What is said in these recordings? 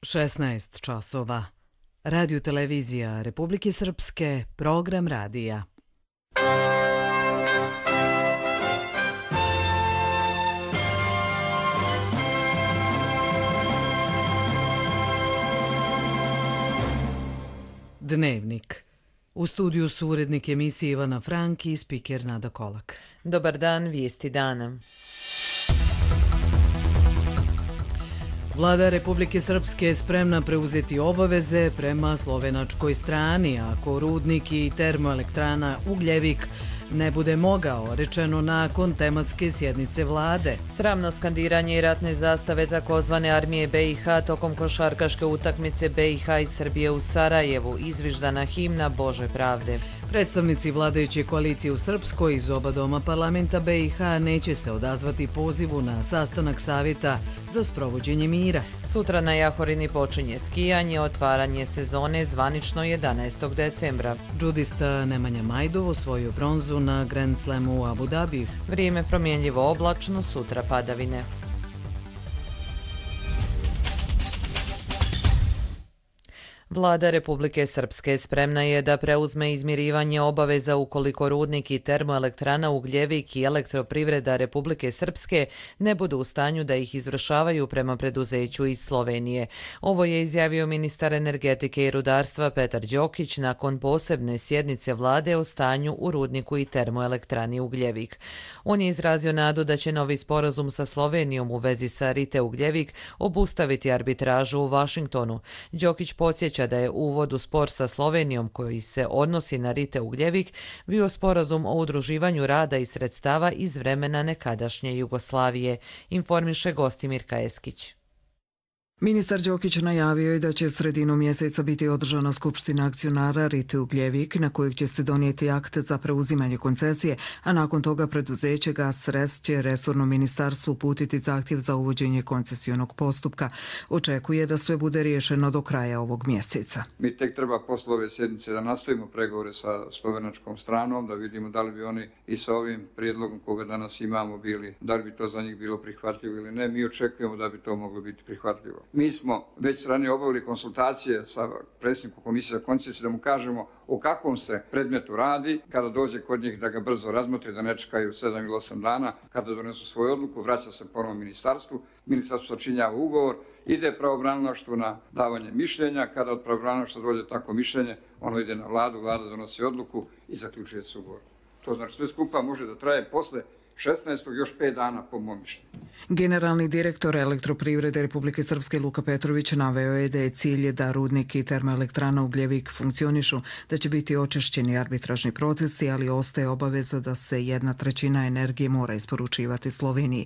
16 časova. Radio televizija Republike Srpske, program radija. Dnevnik. U studiju su urednik emisije Ivana Frank i spiker Nada Kolak. Dobar dan, vijesti dana. Vlada Republike Srpske je spremna preuzeti obaveze prema slovenačkoj strani ako rudnik i termoelektrana Ugljevik ne bude mogao, rečeno nakon tematske sjednice vlade. Sramno skandiranje i ratne zastave takozvane armije BiH tokom košarkaške utakmice BiH i Srbije u Sarajevu, izviždana himna Bože pravde. Predstavnici vladajuće koalicije u Srpskoj iz oba doma parlamenta BiH neće se odazvati pozivu na sastanak savjeta za sprovođenje mira. Sutra na Jahorini počinje skijanje, otvaranje sezone zvanično 11. decembra. Džudista Nemanja Majdov osvojio bronzu na Grand Slamu u Abu Dhabiju. Vrijeme promjenljivo oblačno, sutra padavine. Vlada Republike Srpske spremna je da preuzme izmirivanje obaveza ukoliko rudnik i termoelektrana Ugljevik i elektroprivreda Republike Srpske ne budu u stanju da ih izvršavaju prema preduzeću iz Slovenije. Ovo je izjavio ministar energetike i rudarstva Petar Đokić nakon posebne sjednice vlade o stanju u rudniku i termoelektrani Ugljevik. On je izrazio nadu da će novi sporazum sa Slovenijom u vezi sa Rite Ugljevik obustaviti arbitražu u Vašingtonu. Đokić podsjeća da je uvod u spor sa Slovenijom koji se odnosi na Rite Ugljevik bio sporazum o udruživanju rada i sredstava iz vremena nekadašnje Jugoslavije, informiše Gostimir Kajeskić. Ministar Đokić najavio je da će sredinom mjeseca biti održana skupština akcionara Rite Ugljevik na kojeg će se donijeti akt za preuzimanje koncesije, a nakon toga preduzeće GasRes će resornom ministarstvu uputiti zahtjev za uvođenje koncesijnog postupka. Očekuje da sve bude riješeno do kraja ovog mjeseca. Mi tek treba posle ove sjednice da nastavimo pregovore sa slovenačkom stranom, da vidimo da li bi oni i sa ovim prijedlogom koga danas imamo bili, da li bi to za njih bilo prihvatljivo ili ne. Mi očekujemo da bi to moglo biti prihvatljivo. Mi smo već ranije obavili konsultacije sa predsjednikom komisije za koncesije da mu kažemo o kakvom se predmetu radi, kada dođe kod njih da ga brzo razmotri, da ne čekaju 7 ili 8 dana, kada donesu svoju odluku, vraća se ponovo ministarstvu, ministarstvo sačinjava ugovor, ide pravobranilaštvu na davanje mišljenja, kada od pravobranilaštva dođe tako mišljenje, ono ide na vladu, vlada donosi odluku i zaključuje se ugovor. To znači sve skupa može da traje posle 16. još 5 dana po mom mišljenju. Generalni direktor elektroprivrede Republike Srpske Luka Petrović naveo je da je cilj da rudnik i termoelektrana Ugljevik funkcionišu, da će biti očišćeni arbitražni procesi, ali ostaje obaveza da se 1/3 energije mora isporučivati Sloveniji.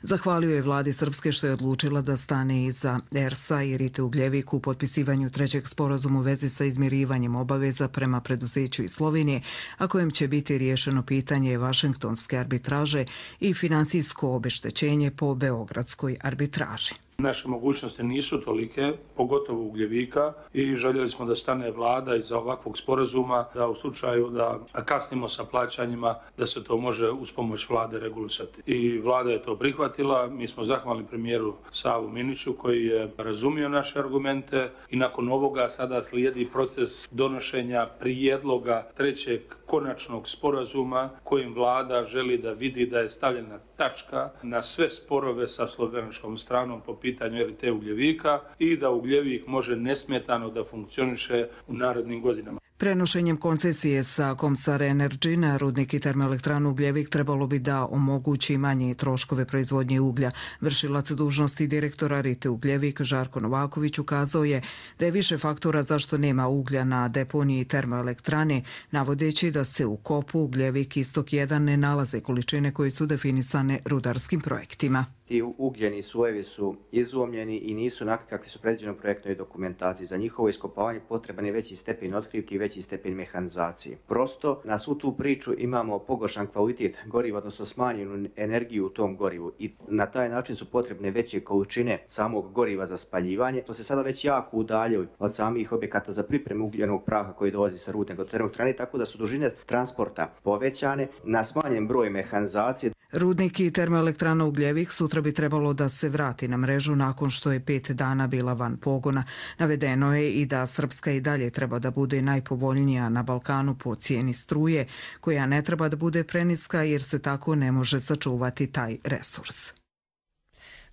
Zahvalio je vladi Srpske što je odlučila da stane iza ERS-a i Rite Ugljevik u potpisivanju trećeg sporazuma u vezi sa izmirivanjem obaveza prema preduzeću iz Slovenije, a kojem će biti riješeno pitanje vašingtonske arbitraže i finansijsko obeštećenje po beogradskoj arbitraži. Naše mogućnosti nisu tolike, pogotovo Ugljevika, i željeli smo da stane vlada iza ovakvog sporazuma, da u slučaju da kasnimo sa plaćanjima, da se to može uz pomoć vlade regulisati. I vlada je to prihvatila, mi smo zahvalni premijeru Savu Miniću koji je razumio naše argumente i nakon ovoga sada slijedi proces donošenja prijedloga trećeg konačnog sporazuma kojim vlada želi da vidi da je stavljena tačka na sve sporove sa slovenačkom stranom po pitanju Rite Ugljevika i da Ugljevik može nesmetano da funkcioniše u narednim godinama. Prenošenjem koncesije sa Comstar Energy na rudnik i termoelektranu Ugljevik trebalo bi da omogući manje troškove proizvodnje uglja. Vršilac dužnosti direktora Rite Ugljevik Žarko Novaković ukazao je da je više faktora zašto nema uglja na deponiji termoelektrane, navodeći da se u kopu Ugljevik Istok 1 ne nalaze količine koje su definisane rudarskim projektima. Ti ugljeni slojevi su izlomljeni i nisu onakvi kakvi su predviđeni u projektnoj dokumentaciji. Za njihovo iskopavanje potreban je veći stepen otkrivki i veći stepen mehanizacije. Prosto na svu tu priču imamo pogoršan kvalitet goriva, odnosno smanjenu energiju u tom gorivu i na taj način su potrebne veće količine samog goriva za spaljivanje. To se sada već jako udaljili od samih objekata za pripremu ugljenog praha koji dolazi sa rudnika do termoelektrane, tako da su dužine transporta povećane na smanjen broj mehanizacije. Rudnik i termoelektrana Ugljevik sutra bi trebalo da se vrati na mrežu nakon što je 5 dana bila van pogona. Navedeno je i da Srpska i dalje treba da bude najpovoljnija na Balkanu po cijeni struje, koja ne treba da bude preniska jer se tako ne može sačuvati taj resurs.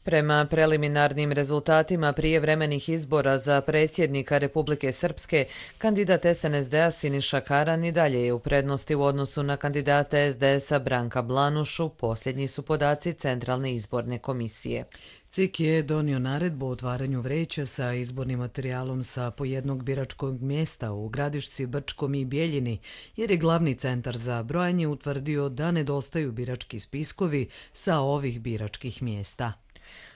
Prema preliminarnim rezultatima prijevremenih izbora za predsjednika Republike Srpske, kandidat SNSD-a Siniša Karan i dalje je u prednosti u odnosu na kandidata SDS-a Branka Blanušu, posljednji su podaci Centralne izborne komisije. CIK je donio naredbu o otvaranju vreća sa izbornim materijalom sa po jednog biračkog mjesta u Gradišci, Brčkom i Bjeljini, jer je glavni centar za brojanje utvrdio da nedostaju birački spiskovi sa ovih biračkih mjesta.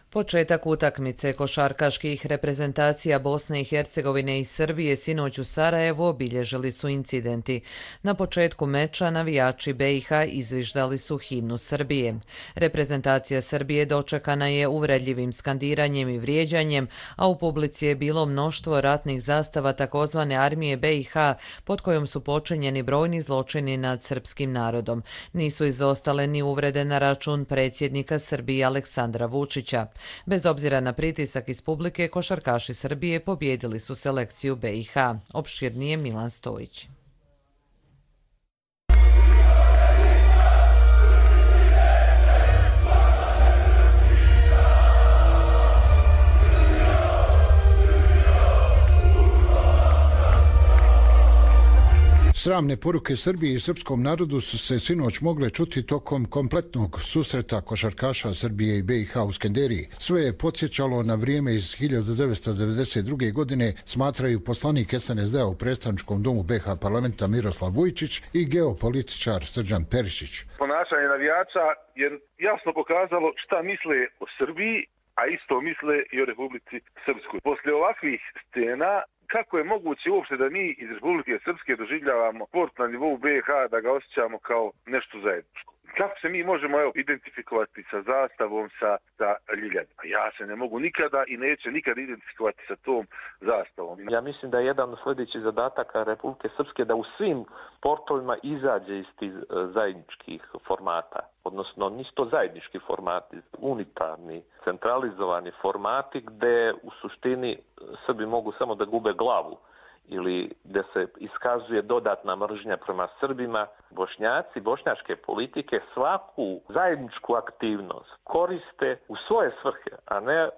Početak utakmice košarkaških reprezentacija Bosne i Hercegovine i Srbije sinoć u Sarajevu obilježili su incidenti. Na početku meča navijači BiH izviždali su himnu Srbije. Reprezentacija Srbije dočekana je uvredljivim skandiranjem i vrijeđanjem, a u publici je bilo mnoštvo ratnih zastava takozvane armije BiH pod kojom su počinjeni brojni zločini nad srpskim narodom. Nisu izostale ni uvrede na račun predsjednika Srbije Aleksandra Vučića. Bez obzira na pritisak iz publike, košarkaši Srbije pobjedili su selekciju BiH. Opširnije Milan Stojić. Sramne poruke Srbiji i srpskom narodu su se sinoć mogle čuti tokom kompletnog susreta košarkaša Srbije i BiH u Skenderiji. Sve je podsjećalo na vrijeme iz 1992. godine, smatraju poslanik SNSD-a u predstavničkom domu BiH parlamenta Miroslav Vujčić i geopolitičar Srđan Perišić. Ponašanje navijača je jasno pokazalo šta misle o Srbiji, a isto misle i o Republici Srpskoj. Poslije ovakvih scena, kako je moguće uopšte da mi iz Republike Srpske doživljavamo sport na nivou BiH, da ga osjećamo kao nešto zajedničko? Kako se mi možemo identifikovati sa zastavom, sa Ljiljana? Ja se ne mogu nikada i neće nikada identifikovati sa tom zastavom. Ja mislim da je jedan od sljedećih zadataka Republike Srpske da u svim sportovima izađe iz tih zajedničkih formata. Odnosno, nisu to zajednički formati, unitarni, centralizovani formati gdje u suštini Srbi mogu samo da gube glavu ili da se iskazuje dodatna mržnja prema Srbima. Bošnjaci, bošnjačke politike svaku zajedničku aktivnost koriste u svoje svrhe, a ne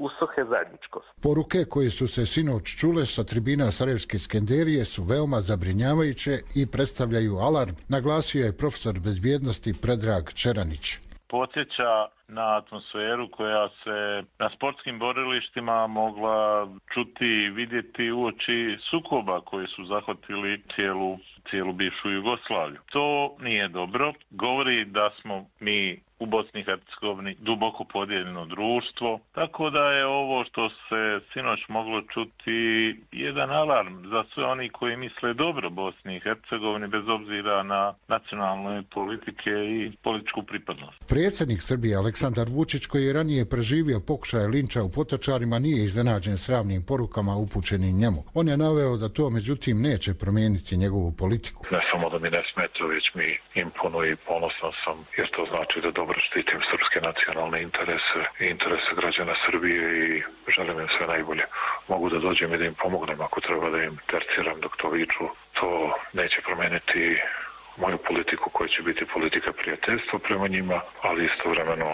u svrhe zajedničkosti. Poruke koje su se sinoć čule sa tribina Sarajevske Skenderije su veoma zabrinjavajuće i predstavljaju alarm, naglasio je profesor bezbjednosti Predrag Čeranić. Podsjeća na atmosferu koja se na sportskim borilištima mogla čuti i vidjeti uoči sukoba koji su zahvatili cijelu bivšu Jugoslaviju. To nije dobro. Govori da smo mi u Bosni i Hercegovini duboko podijeljeno društvo, tako da je ovo što se sinoć moglo čuti jedan alarm za sve oni koji misle dobro Bosni i Hercegovini bez obzira na nacionalne politike i političku pripadnost. Predsjednik Srbije Aleksandar Vučić, koji je ranije preživio pokušaj linča u Potočarima, nije iznenađen sramnim porukama upućenim njemu. On je naveo da to međutim neće promijeniti njegovu politiku. Ne samo da mi ne smeta, već mi imponuje i ponosan sam, jer to znači da dobro štitim srpske nacionalne interese i interese građana Srbije i želim im sve najbolje. Mogu da dođem i da im pomognem ako treba da im terciram dok to viču. To neće promijeniti moju politiku koja će biti politika prijateljstva prema njima, ali istovremeno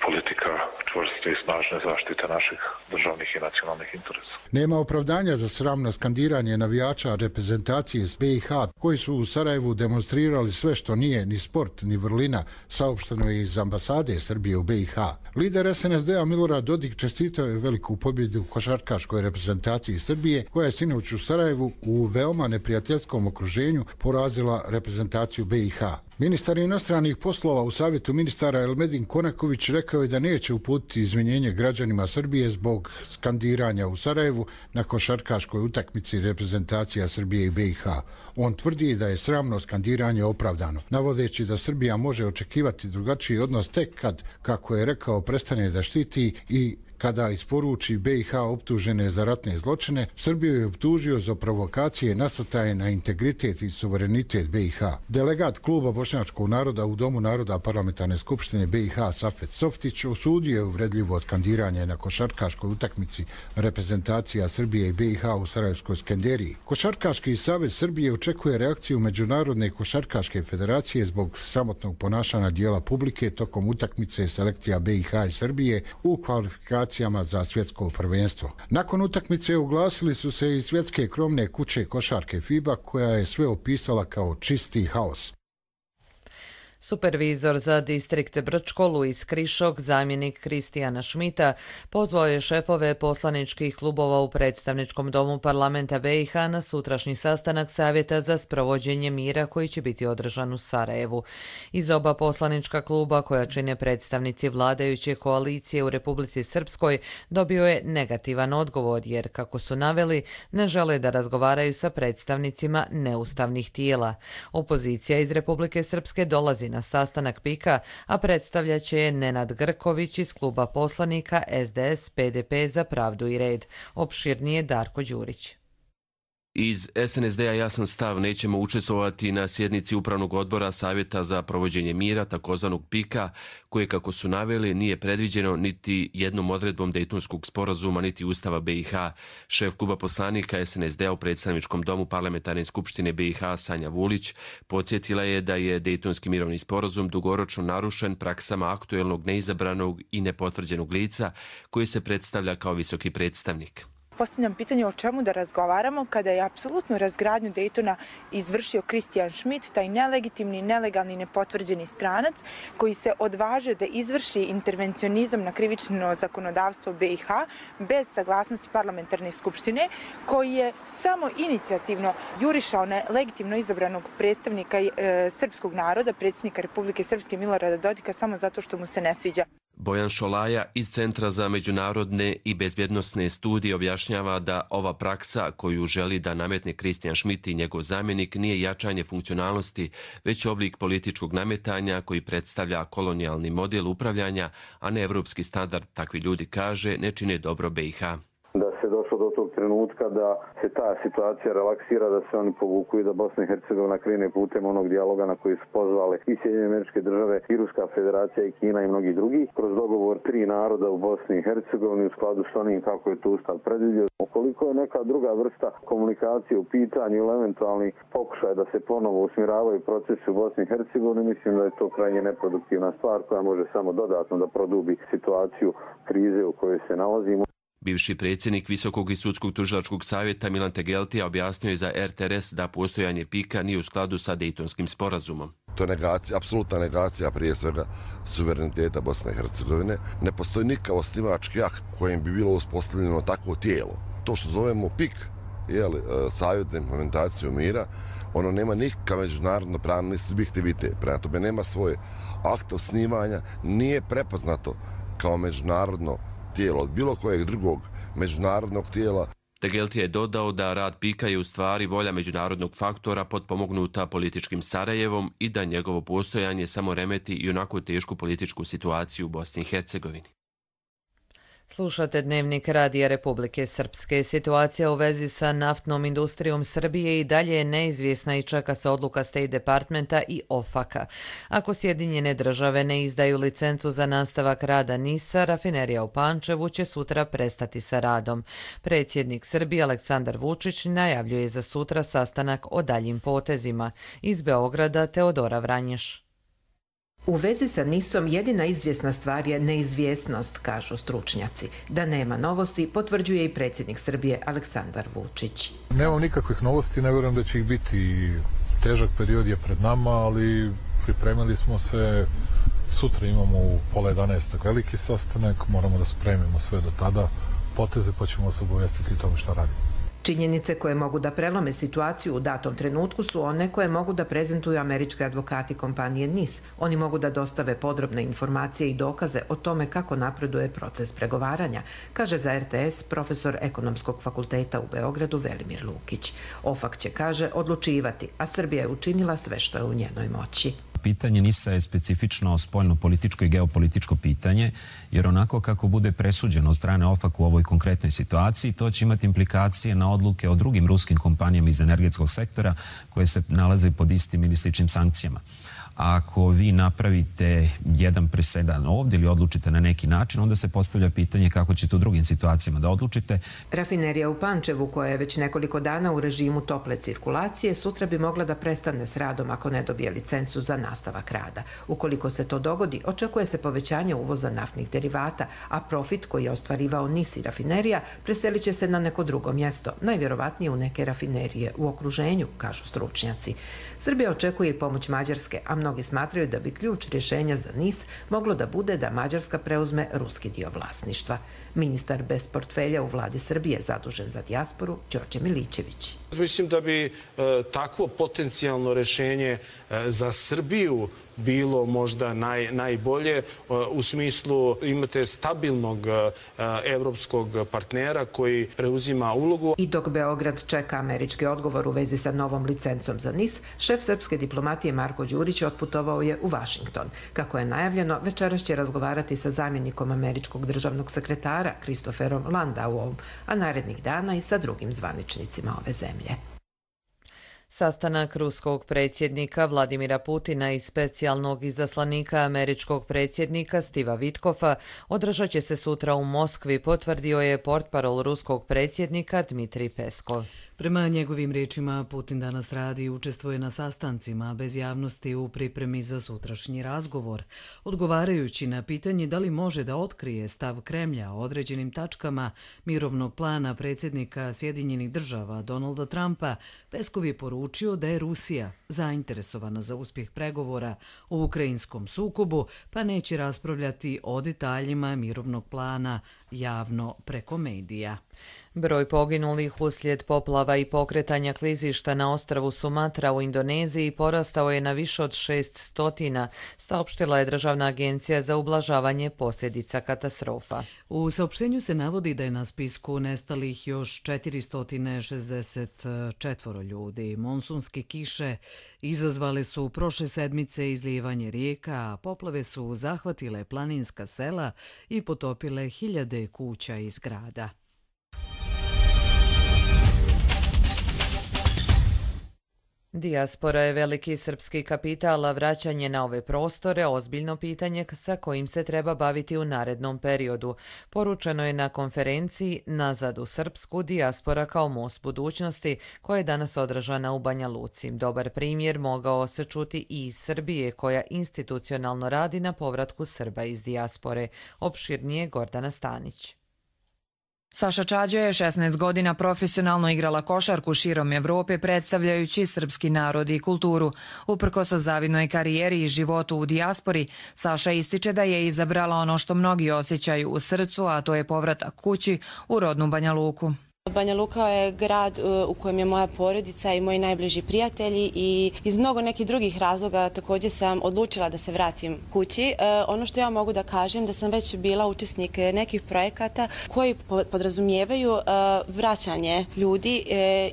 politika čvrste i snažne zaštite naših državnih i nacionalnih interesa. Nema opravdanja za sramno skandiranje navijača reprezentacije iz BiH koji su u Sarajevu demonstrirali sve što nije ni sport ni vrlina, saopšteno je iz ambasade Srbije u BiH. Lider SNSD-a Milorad Dodik čestitao je veliku pobjedu košarkaškoj reprezentaciji Srbije koja je sinoć u Sarajevu u veoma neprijateljskom okruženju porazila reprezentaciju BiH. Ministar inostranih poslova u Savjetu ministara Elmedin Konaković rekao je da neće uputiti izvinjenje građanima Srbije zbog skandiranja u Sarajevu na košarkaškoj utakmici reprezentacija Srbije i BiH. On tvrdi da je sramno skandiranje opravdano, navodeći da Srbija može očekivati drugačiji odnos tek kad, kako je rekao, prestane da štiti i kada isporuči BiH optužene za ratne zločine, Srbiju je optužio za provokacije nasrtaje na integritet i suverenitet BiH. Delegat kluba Bošnjačkog naroda u Domu naroda Parlamentarne skupštine BiH Safet Softić osudio je uvredljivo skandiranje na košarkaškoj utakmici reprezentacija Srbije i BiH u Sarajevskoj Skenderiji. Košarkaški savez Srbije očekuje reakciju Međunarodne košarkaške federacije zbog sramotnog ponašanja dijela publike tokom utakmice selekcija BiH i Srbije u kvalifikacijama za svjetsko prvenstvo. Nakon utakmice oglasili su se i svjetske krovne kuće košarke FIBA, koja je sve opisala kao čisti haos. Supervizor za distrikt Brčko Luis Krišok, zamjenik Kristijana Šmita, pozvao je šefove poslaničkih klubova u predstavničkom domu parlamenta BiH na sutrašnji sastanak Savjeta za sprovođenje mira koji će biti održan u Sarajevu. Iz oba poslanička kluba, koja čine predstavnici vladajuće koalicije u Republici Srpskoj, dobio je negativan odgovor jer, kako su naveli, ne žele da razgovaraju sa predstavnicima neustavnih tijela. Opozicija iz Republike Srpske dolazi na sastanak PIK-a, a predstavljat će je Nenad Grković iz kluba poslanika SDS PDP za pravdu i red. Opširnije Darko Đurić. Iz SNSD-a jasan stav, nećemo učestvovati na sjednici Upravnog odbora Savjeta za provođenje mira, takozvanog PIK-a, koje, kako su naveli, nije predviđeno niti jednom odredbom Dejtonskog sporazuma, niti Ustava BiH. Šef kluba poslanika SNSD-a u predstavničkom domu Parlamentarne skupštine BiH Sanja Vulić podsjetila je da je Dejtonski mirovni sporazum dugoročno narušen praksama aktuelnog, neizabranog i nepotvrđenog lica koji se predstavlja kao visoki predstavnik. Postavljam pitanje o čemu da razgovaramo kada je apsolutno razgradnju Dejtona izvršio Kristijan Šmit, taj nelegitimni, nelegalni, nepotvrđeni stranac koji se odvažio da izvrši intervencionizam na krivično zakonodavstvo BiH bez saglasnosti parlamentarne skupštine, koji je samo inicijativno jurišao na legitimno izabranog predstavnika srpskog naroda, predsjednika Republike Srpske Milorada Dodika, samo zato što mu se ne sviđa. Bojan Šolaja iz Centra za međunarodne i bezbjednosne studije objašnjava da ova praksa koju želi da nametne Kristijan Šmit i njegov zamjenik nije jačanje funkcionalnosti, već oblik političkog nametanja koji predstavlja kolonijalni model upravljanja, a ne evropski standard, takvi ljudi, kaže, ne čine dobro BiH. Da se došlo do tog trenutka da se ta situacija relaksira, da se oni povuku i da Bosna i Hercegovina krene putem onog dijaloga na koji su pozvale i Sjedinjene Američke Države, i Ruska federacija, i Kina i mnogi drugi, kroz dogovor 3 naroda u Bosni i Hercegovini u skladu s onim kako je to Ustav predvidio. Ukoliko je neka druga vrsta komunikacije u pitanju ili eventualni pokušaj da se ponovo usmjeravaju procesi u Bosni i Hercegovini, mislim da je to krajnje neproduktivna stvar koja može samo dodatno da produbi situaciju krize u kojoj se nalazimo. Bivši predsjednik Visokog i sudskog tužilačkog savjeta Milan Tegeltija objasnio je za RTRS da postojanje PIK-a nije u skladu sa Dejtonskim sporazumom. To je negacija, apsolutna negacija prije svega suvereniteta Bosne i Hercegovine. Ne postoji nikakav osnivački akt kojim bi bilo uspostavljeno takvo tijelo. To što zovemo PIK, Savjet za implementaciju mira, ono nema nikakav međunarodno pravni subjektivitet. Prema tome nema svoje akte osnivanja, nije prepoznato kao međunarodno tijelo od bilo kojeg drugog međunarodnog tijela. Tegeltija je dodao da rad PIK-a je u stvari volja međunarodnog faktora potpomognuta političkim Sarajevom i da njegovo postojanje samo remeti i onako tešku političku situaciju u Bosni i Hercegovini. Slušate Dnevnik Radija Republike Srpske. Situacija u vezi sa naftnom industrijom Srbije i dalje je neizvjesna i čeka se odluka State Departmenta i OFAC-a. Ako Sjedinjene države ne izdaju licencu za nastavak rada NIS-a, rafinerija u Pančevu će sutra prestati sa radom. Predsjednik Srbije Aleksandar Vučić najavljuje za sutra sastanak o daljim potezima. Iz Beograda Teodora Vranješ. U vezi sa NIS-om jedina izvjesna stvar je neizvjesnost, kažu stručnjaci. Da nema novosti, potvrđuje i predsjednik Srbije Aleksandar Vučić. Nemam nikakvih novosti, ne vjerujem da će ih biti. Težak period je pred nama, ali pripremili smo se. Sutra imamo u 10:30 veliki sastanak, moramo da spremimo sve do tada poteze, pa ćemo se obavestiti o tome šta radimo. Činjenice koje mogu da prelome situaciju u datom trenutku su one koje mogu da prezentuju američki advokati kompanije NIS. Oni mogu da dostave podrobne informacije i dokaze o tome kako napreduje proces pregovaranja, kaže za RTS profesor Ekonomskog fakulteta u Beogradu Velimir Lukić. OFAC će, kaže, odlučivati, a Srbija je učinila sve što je u njenoj moći. Pitanje NIS-a je specifično spoljno-političko i geopolitičko pitanje, jer onako kako bude presuđeno od strane OFAC u ovoj konkretnoj situaciji, to će imati implikacije na odluke o drugim ruskim kompanijama iz energetskog sektora koje se nalaze pod istim ili sličnim sankcijama. Ako vi napravite jedan presedan ovdje ili odlučite na neki način, onda se postavlja pitanje kako ćete u drugim situacijama da odlučite. Rafinerija u Pančevu, koja je već nekoliko dana u režimu tople cirkulacije, sutra bi mogla da prestane s radom ako ne dobije licencu za nastavak rada. Ukoliko se to dogodi, očekuje se povećanje uvoza naftnih derivata, a profit koji je ostvarivao NIS i rafinerija preselit će se na neko drugo mjesto, najvjerovatnije u neke rafinerije u okruženju, kažu stručnjaci. Srbija očekuje i pomoć Mađarske, a mnogi smatraju da bi ključ rješenja za NIS moglo da bude da Mađarska preuzme ruski dio vlasništva. Ministar bez portfelja u vladi Srbije zadužen za dijasporu, Đorđe Milićević. Mislim da bi takvo potencijalno rješenje za Srbiju bilo možda najbolje. U smislu imate stabilnog evropskog partnera koji preuzima ulogu. I dok Beograd čeka američki odgovor u vezi sa novom licencom za NIS, šef srpske diplomatije Marko Đurić otputovao je u Vašington. Kako je najavljeno, večeras će razgovarati sa zamjenikom američkog državnog sekretara Christopherom Landauom, a narednih dana i sa drugim zvaničnicima ove zemlje. Sastanak ruskog predsjednika Vladimira Putina i specijalnog izaslanika američkog predsjednika Stiva Witkofa održat će se sutra u Moskvi, potvrdio je portparol ruskog predsjednika Dmitrij Peskov. Prema njegovim riječima, Putin danas radi i učestvuje na sastancima bez javnosti u pripremi za sutrašnji razgovor. Odgovarajući na pitanje da li može da otkrije stav Kremlja o određenim tačkama mirovnog plana predsjednika Sjedinjenih država Donalda Trumpa, Peskov je poručio da je Rusija zainteresovana za uspjeh pregovora o ukrajinskom sukobu, pa neće raspravljati o detaljima mirovnog plana javno preko medija. Broj poginulih uslijed poplava i pokretanja klizišta na ostrvu Sumatra u Indoneziji porastao je na više od 600, saopštila je Državna agencija za ublažavanje posljedica katastrofa. U saopštenju se navodi da je na spisku nestalih još 464 ljudi. Monsunske kiše izazvale su prošle sedmice izlijevanje rijeka, a poplave su zahvatile planinska sela i potopile hiljade kuća i zgrada. Dijaspora je veliki srpski kapital, a vraćanje na ove prostore ozbiljno pitanje sa kojim se treba baviti u narednom periodu. Poručeno je na konferenciji Nazad u Srpsku, dijaspora kao most budućnosti, koja je danas održana u Banja Luci. Dobar primjer mogao se čuti i iz Srbije, koja institucionalno radi na povratku Srba iz dijaspore. Opširnije Gordana Stanić. Saša Čađa je 16 godina profesionalno igrala košarku širom Evrope predstavljajući srpski narod i kulturu. Uprkos zavidnoj karijeri i životu u dijaspori, Saša ističe da je izabrala ono što mnogi osjećaju u srcu, a to je povratak kući u rodnu Banja Luku. Banja Luka je grad u kojem je moja porodica i moji najbliži prijatelji i iz mnogo nekih drugih razloga također sam odlučila da se vratim kući. Ono što ja mogu da kažem da sam već bila učesnik nekih projekata koji podrazumijevaju vraćanje ljudi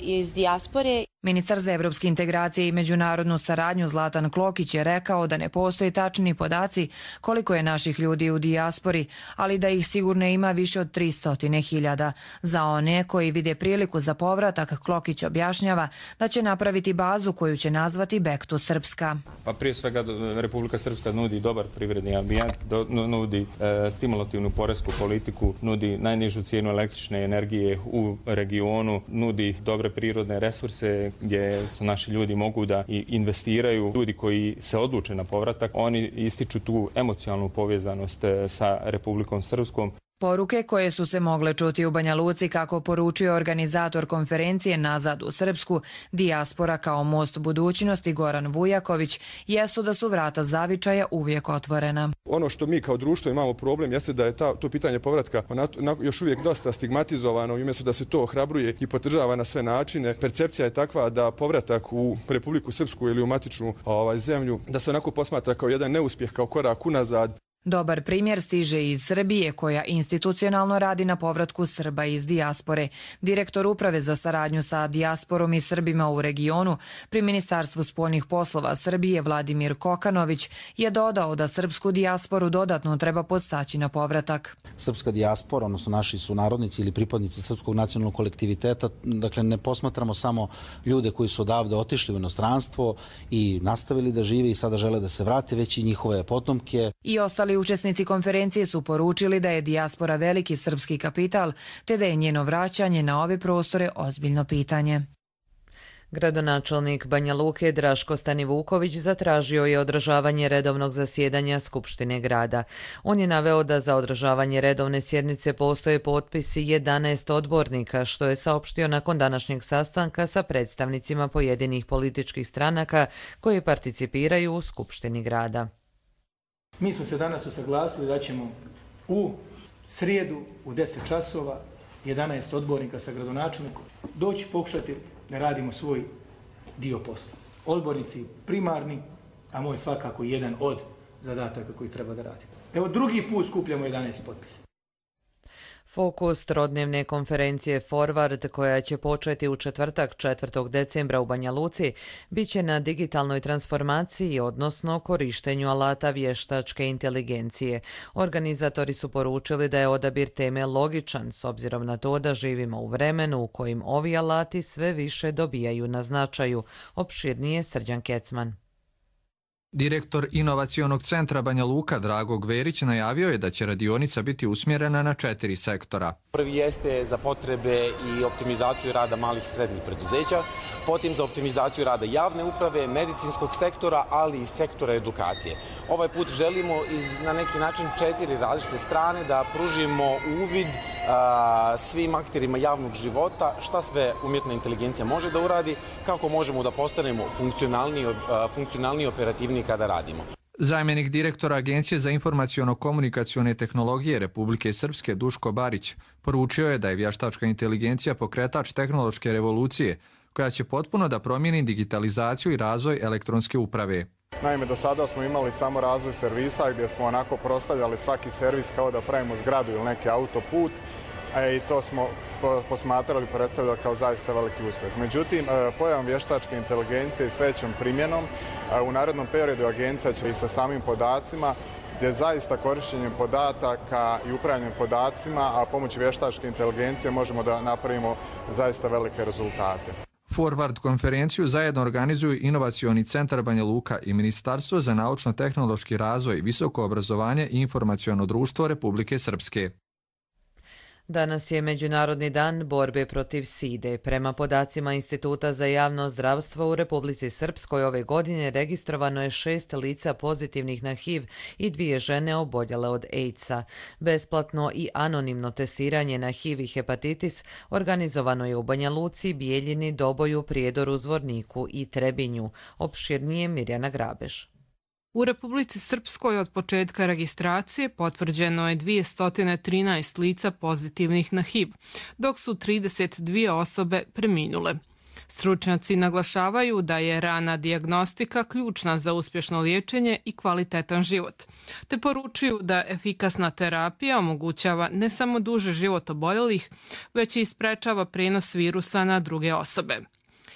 iz dijaspore. Ministar za evropske integracije i međunarodnu saradnju Zlatan Klokić je rekao da ne postoje tačni podaci koliko je naših ljudi u dijaspori, ali da ih sigurno ima više od 300.000. Za one koji vide priliku za povratak, Klokić objašnjava da će napraviti bazu koju će nazvati Back to Srpska. Pa prije svega Republika Srpska nudi dobar privredni ambijent, nudi stimulativnu poresku politiku, nudi najnižu cijenu električne energije u regionu, nudi dobre prirodne resurse gdje naši ljudi mogu da investiraju. Ljudi koji se odluče na povratak, oni ističu tu emocionalnu povezanost sa Republikom Srpskom. Poruke koje su se mogle čuti u Banja Luci, kako poručuje organizator konferencije Nazad u Srpsku, dijaspora kao most budućnosti Goran Vujaković, jesu da su vrata zavičaja uvijek otvorena. Ono što mi kao društvo imamo problem jeste da je to pitanje povratka još uvijek dosta stigmatizovano i umjesto da se to ohrabruje i podržava na sve načine. Percepcija je takva da povratak u Republiku Srpsku ili u matičnu zemlju, da se onako posmatra kao jedan neuspjeh, kao korak unazad. Dobar primjer stiže iz Srbije, koja institucionalno radi na povratku Srba iz dijaspore. Direktor Uprave za saradnju sa dijasporom i Srbima u regionu pri Ministarstvu spoljnih poslova Srbije Vladimir Kokanović je dodao da srpsku dijasporu dodatno treba podstaći na povratak. Srpska dijaspora, odnosno naši sunarodnici ili pripadnici srpskog nacionalnog kolektiviteta, dakle ne posmatramo samo ljude koji su odavde otišli u inostranstvo i nastavili da žive i sada žele da se vrate, već i njihove potomke. I ostali učesnici konferencije su poručili da je dijaspora veliki srpski kapital, te da je njeno vraćanje na ove prostore ozbiljno pitanje. Gradonačelnik Banja Luke Draško Stanivuković zatražio je održavanje redovnog zasjedanja Skupštine grada. On je naveo da za održavanje redovne sjednice postoje potpisi 11 odbornika, što je saopštio nakon današnjeg sastanka sa predstavnicima pojedinih političkih stranaka koji participiraju u Skupštini grada. Mi smo se danas usaglasili da ćemo u srijedu u 10 časova 11 odbornika sa gradonačelnikom doći pokušati da radimo svoj dio posla. Odbornici primarni, a moj svakako jedan od zadataka koji treba da radimo. Evo drugi put skupljamo 11 potpisa. Fokus trodnevne konferencije Forward, koja će početi u četvrtak 4. decembra u Banja Luci, bit će na digitalnoj transformaciji, odnosno korištenju alata vještačke inteligencije. Organizatori su poručili da je odabir teme logičan, s obzirom na to da živimo u vremenu u kojim ovi alati sve više dobijaju na značaju. Opširnije Srđan Kecman. Direktor Inovacionog centra Banja Luka Drago Gverić najavio je da će radionica biti usmjerena na 4 sektora. Prvi jeste za potrebe i optimizaciju rada malih i srednjih preduzeća, potom za optimizaciju rada javne uprave, medicinskog sektora, ali i sektora edukacije. Ovaj put želimo na neki način 4 različite strane da pružimo uvid svim akterima javnog života, šta sve umjetna inteligencija može da uradi, kako možemo da postanemo funkcionalniji, operativniji kada radimo. Zamjenik direktora Agencije za informaciono-komunikacione tehnologije Republike Srpske Duško Barić poručio je da je vještačka inteligencija pokretač tehnološke revolucije koja će potpuno da promijeni digitalizaciju i razvoj elektronske uprave. Naime, do sada smo imali samo razvoj servisa gdje smo onako prostavljali svaki servis kao da pravimo zgradu ili neki autoput i to smo posmatrali, predstavljali kao zaista veliki uspjeh. Međutim, pojavom vještačke inteligencije i s većom primjenom u narednom periodu agencija će i sa samim podacima gdje zaista korištenjem podataka i upravljanjem podacima, a pomoću vještačke inteligencije možemo da napravimo zaista velike rezultate. Forward konferenciju zajedno organizuju Inovacioni centar Banja Luka i Ministarstvo za naučno-tehnološki razvoj, visoko obrazovanje i informaciono društvo Republike Srpske. Danas je Međunarodni dan borbe protiv side. Prema podacima Instituta za javno zdravstvo u Republici Srpskoj ove godine registrovano je 6 lica pozitivnih na HIV i 2 žene oboljele od AIDS-a. Besplatno i anonimno testiranje na HIV i hepatitis organizovano je u Banja Luci, Bijeljini, Doboju, Prijedoru, Zvorniku i Trebinju. Opširnije Mirjana Grabež. U Republici Srpskoj od početka registracije potvrđeno je 213 lica pozitivnih na HIV, dok su 32 osobe preminule. Stručnjaci naglašavaju da je rana dijagnostika ključna za uspješno liječenje i kvalitetan život, te poručuju da efikasna terapija omogućava ne samo duži život oboljelih, već i sprečava prenos virusa na druge osobe.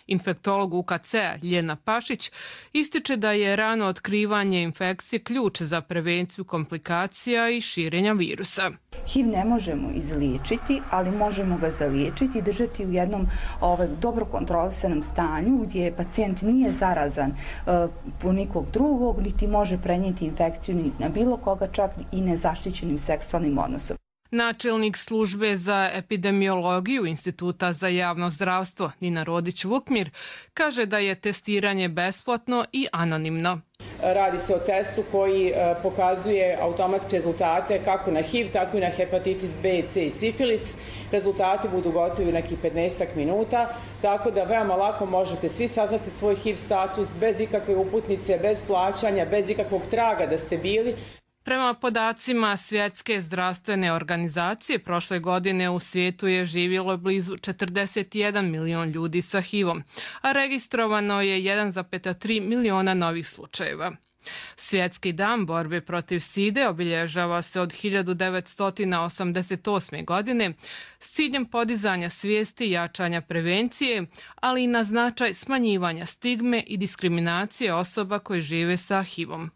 Infektolog UKC-a Ljena Pašić ističe da je rano otkrivanje infekcije ključ za prevenciju komplikacija i širenja virusa. HIV ne možemo izliječiti, ali možemo ga zaliječiti i držati u jednom dobro kontrolisanom stanju gdje pacijent nije zarazan po nikog drugog, niti može prenijeti infekciju ni na bilo koga, čak i nezaštićenim seksualnim odnosom. Načelnik službe za epidemiologiju Instituta za javno zdravstvo Nina Rodić-Vukmir kaže da je testiranje besplatno i anonimno. Radi se o testu koji pokazuje automatske rezultate kako na HIV, tako i na hepatitis B, C i sifilis. Rezultati budu gotovi u nekih 15 minuta, tako da veoma lako možete svi saznati svoj HIV status bez ikakve uputnice, bez plaćanja, bez ikakvog traga da ste bili. Prema podacima Svjetske zdravstvene organizacije, prošle godine u svijetu je živjelo blizu 41 milion ljudi sa HIV-om, a registrovano je 1,3 miliona novih slučajeva. Svjetski dan borbe protiv side obilježava se od 1988. godine s ciljem podizanja svijesti i jačanja prevencije, ali i na značaj smanjivanja stigme i diskriminacije osoba koje žive sa HIV-om.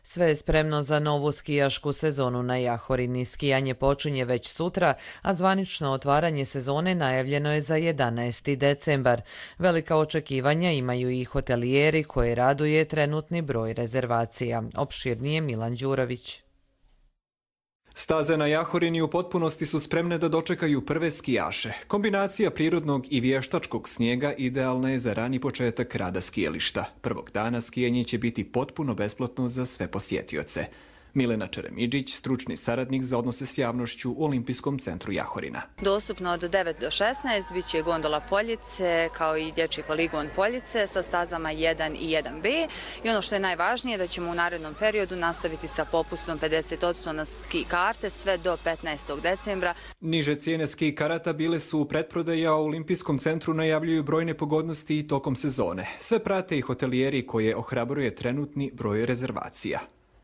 Sve je spremno za novu skijašku sezonu na Jahorini. Skijanje počinje već sutra, a zvanično otvaranje sezone najavljeno je za 11. decembar. Velika očekivanja imaju i hotelijeri koje raduje trenutni broj rezervacija. Opširnije Milan Đurović. Staze na Jahorini u potpunosti su spremne da dočekaju prve skijaše. Kombinacija prirodnog i vještačkog snijega idealna je za rani početak rada skijališta. Prvog dana skijanje će biti potpuno besplatno za sve posjetioce. Milena Čeremidžić, stručni saradnik za odnose s javnošću u Olimpijskom centru Jahorina. Dostupno od 9 do 16 bit će gondola Poljice kao i dječji poligon Poljice sa stazama 1 i 1B. I ono što je najvažnije da ćemo u narednom periodu nastaviti sa popustom 50% na ski karte sve do 15. decembra. Niže cijene ski karata bile su u pretprodaji, a u Olimpijskom centru najavljuju brojne pogodnosti i tokom sezone. Sve prate i hotelijeri koje ohrabruje trenutni broj rezervacija.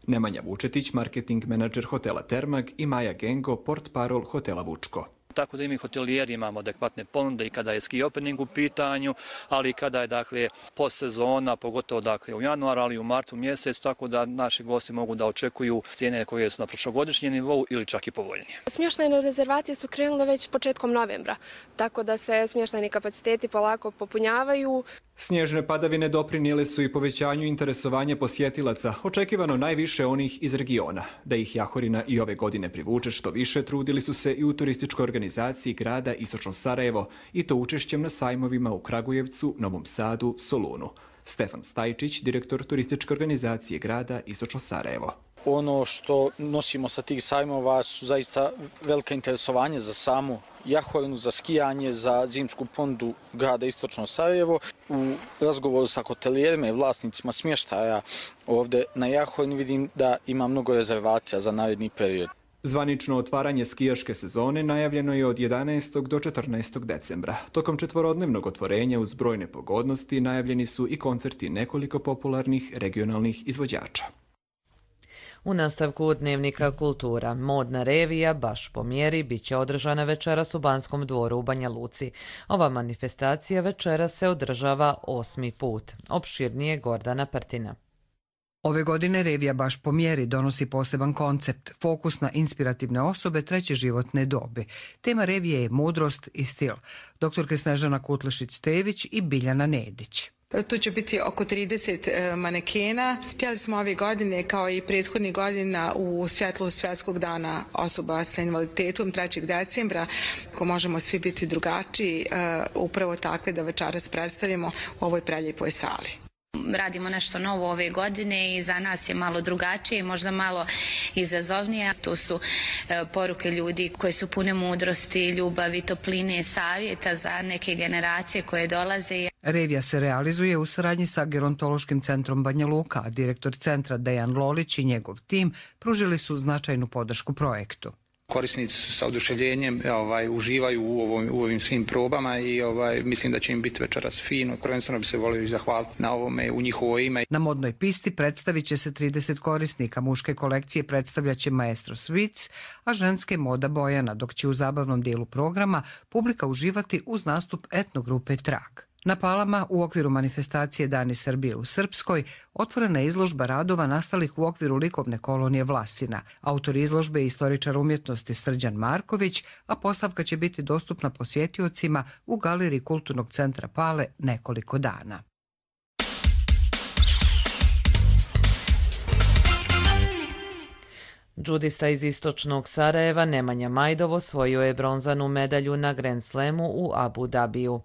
Nemanja Vučetić, marketing menadžer hotela Termag i Maja Gengo, portparol hotela Vučko. Tako da i mi hotelijeri imamo adekvatne ponude i kada je ski opening u pitanju, ali i kada je postsezona, pogotovo u januaru, ali i u martu mjesecu, tako da naši gosti mogu da očekuju cijene koje su na prošlogodišnjem nivou ili čak i povoljnije. Smještajne rezervacije su krenule već početkom novembra, tako da se smještajni kapaciteti polako popunjavaju. Snježne padavine doprinijele su i povećanju interesovanja posjetilaca, očekivano najviše onih iz regiona. Da ih Jahorina i ove godine privuče što više, trudili su se i u turističkoj organizaciji grada Istočno Sarajevo, i to učešćem na sajmovima u Kragujevcu, Novom Sadu, Solunu. Stefan Stajčić, direktor turističke organizacije grada Istočno Sarajevo. Ono što nosimo sa tih sajmova su zaista velika interesovanja za samu Jahorinu, za skijanje, za zimsku ponudu grada Istočno Sarajevo. U razgovoru sa hotelijerima i vlasnicima smještaja ovdje na Jahorini vidim da ima mnogo rezervacija za naredni period. Zvanično otvaranje skijaške sezone najavljeno je od 11. do 14. decembra. Tokom četvorodnevnog otvorenja uz brojne pogodnosti najavljeni su i koncerti nekoliko popularnih regionalnih izvođača. U nastavku Dnevnika kultura, modna revija Baš po mjeri bit će održana večeras u Banskom dvoru u Banja Luci. Ova manifestacija večeras se održava 8. put. Opširnije Gordana Prtina. Ove godine revija Baš po mjeri donosi poseban koncept, fokus na inspirativne osobe treće životne dobi. Tema revije je mudrost i stil. Doktorke Snežana Kutlešić-Stević i Biljana Nedić. Tu će biti oko 30 manekena. Htjeli smo ove godine, kao i prethodnih godina, u svjetlu Svjetskog dana osoba sa invaliditetom 3. decembra, ako možemo svi biti drugačiji, upravo takve da večeras predstavimo u ovoj preljepoj sali. Radimo nešto novo ove godine i za nas je malo drugačije, možda malo izazovnije. Tu su poruke ljudi koji su pune mudrosti, ljubavi, topline, savjeta za neke generacije koje dolaze. Revija se realizuje u saradnji sa Gerontološkim centrom Banja Luka, a direktor centra Dejan Lolić i njegov tim pružili su značajnu podršku projektu. Korisnici sa oduševljenjem uživaju u ovim svim probama i mislim da će im biti večeras fino. Prvenstveno bi se volio i zahvaliti na ovome u njihovo ime. Na modnoj pisti predstavit će se 30 korisnika. Muške kolekcije predstavljaće Maestro Svic, a ženske Moda Bojana, dok će u zabavnom dijelu programa publika uživati uz nastup etnogrupe Trag. Na Palama, u okviru manifestacije Dani Srbije u Srpskoj, otvorena je izložba radova nastalih u okviru likovne kolonije Vlasina. Autor izložbe je istoričar umjetnosti Srđan Marković, a postavka će biti dostupna posjetiocima u galeriji Kulturnog centra Pale nekoliko dana. Džudista iz istočnog Sarajeva Nemanja Majdov osvojio je bronzanu medalju na Grand Slamu u Abu Dhabiju.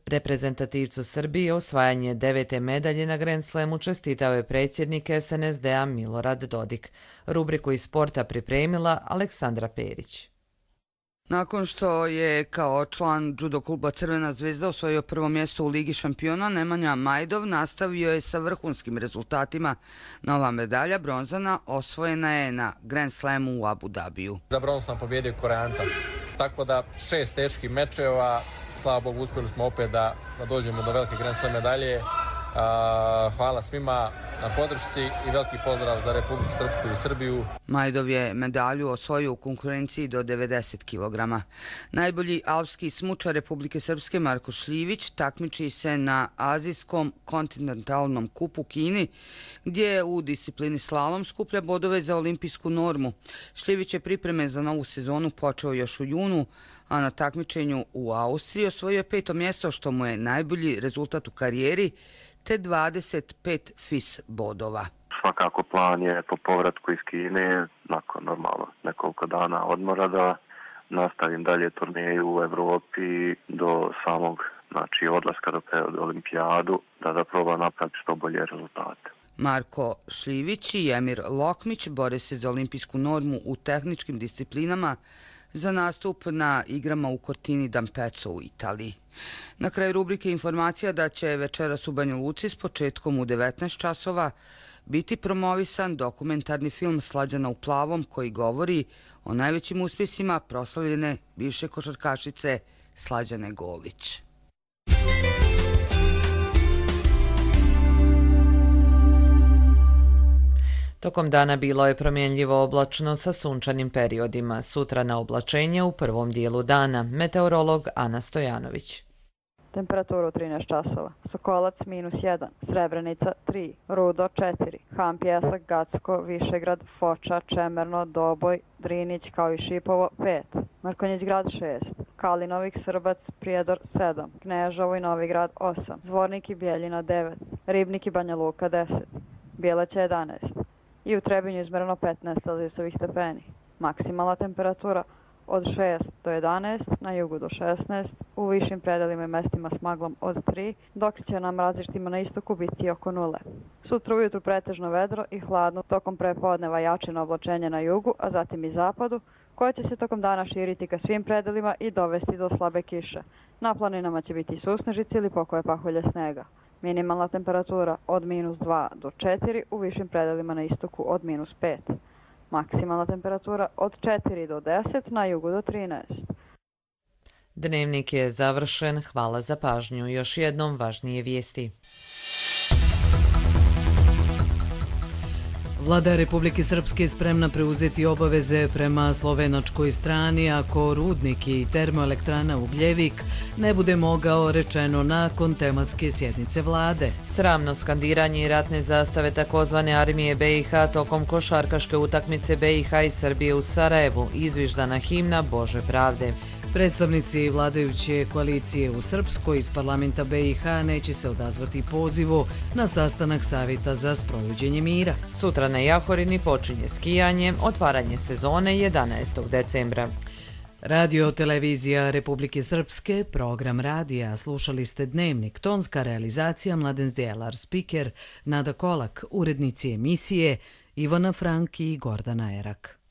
Reprezentativcu Srbije osvajanje 9. medalje na Grand Slamu čestitao je predsjednik SNSD-a Milorad Dodik. Rubriku iz sporta pripremila Aleksandra Perić. Nakon što je kao član judo kluba Crvena zvezda osvojio prvo mjesto u Ligi šampiona, Nemanja Majdov nastavio je sa vrhunskim rezultatima. Nova medalja, bronzana, osvojena je na Grand Slamu u Abu Dhabiju. Za bronzu sam pobjedio Koreanca, tako da 6 teških mečeva, slava Bogu uspjeli smo opet da dođemo do velike Grand Slam medalje Hvala svima na podršci i veliki pozdrav za Republiku Srpsku i Srbiju. Majdov je medalju osvojio u konkurenciji do 90 kg. Najbolji alpski smučar Republike Srpske Marko Šljivić takmiči se na Azijskom kontinentalnom kupu u Kini, gdje u disciplini slalom skuplja bodove za olimpijsku normu. Šljivić je pripreme za novu sezonu počeo još u junu, a na takmičenju u Austriji osvojio je 5. mjesto, što mu je najbolji rezultat u karijeri, te 25 FIS bodova. Svakako plan je po povratku iz Kine, nakon normalno nekoliko dana odmora, da nastavim dalje turneju u Evropi do samog odlaska do olimpijadu, da probam napraviti što bolje rezultate. Marko Šljivić i Emir Lokmić bore se za olimpijsku normu u tehničkim disciplinama za nastup na igrama u Cortini d'Ampezzo u Italiji. Na kraju rubrike informacija da će večeras u Banja Luci s početkom u 19 časova biti promovisan dokumentarni film Slađana u plavom, koji govori o najvećim uspjesima proslavljene bivše košarkašice Slađane Golić. Tokom dana bilo je promjenljivo oblačno sa sunčanim periodima. Sutra na oblačenje u prvom dijelu dana. Meteorolog Ana Stojanović. Temperatura u 13 časova. Sokolac -1, Srebrenica 3, Rudo 4, Han Pjesak, Gacko, Višegrad, Foča, Čemerno, Doboj, Drinić kao i Šipovo 5, Mrkonjić grad 6, Kalinovik, Srbac, Prijedor 7, Kneževo i Novigrad 8, Zvornik i Bijeljina 9, Ribnik i Banja Luka 10, Bijeleća 11 i u Trebinju izmereno 15 celzijusovih stepeni. Maksimalna temperatura od 6 do 11, na jugu do 16, u višim predelima i mestima s maglom od 3, dok će na mrazištima na istoku biti oko 0. Sutra ujutru pretežno vedro i hladno, tokom prepodneva jačino oblačenje na jugu, a zatim i zapadu, koje će se tokom dana širiti ka svim predelima i dovesti do slabe kiše. Na planinama će biti susnežice ili pokoje pahulje snega. Minimalna temperatura od -2 do 4, u višim predelima na istoku od -5. Maksimalna temperatura od 4 do 10, na jugu do 13. Dnevnik je završen. Hvala za pažnju. Još jednom važnije vijesti. Vlada Republike Srpske je spremna preuzeti obaveze prema slovenačkoj strani ako rudnik i termoelektrana Ugljevik ne bude mogao, rečeno nakon tematske sjednice vlade. Sramno skandiranje i ratne zastave takozvane armije BiH tokom košarkaške utakmice BiH i Srbije u Sarajevu, izviždana himna Bože pravde. Predstavnici vladajuće koalicije u Srpskoj iz parlamenta BiH neće se odazvati pozivu na sastanak Savjeta za sprovođenje mira. Sutra na Jahorini počinje skijanje, otvaranje sezone 11. decembra. Radio televizija Republike Srpske, program radija, slušali ste Dnevnik, tonska realizacija Mladen Zdjelar, spiker Nada Kolak, urednici emisije Ivana Frank i Gordana Erak.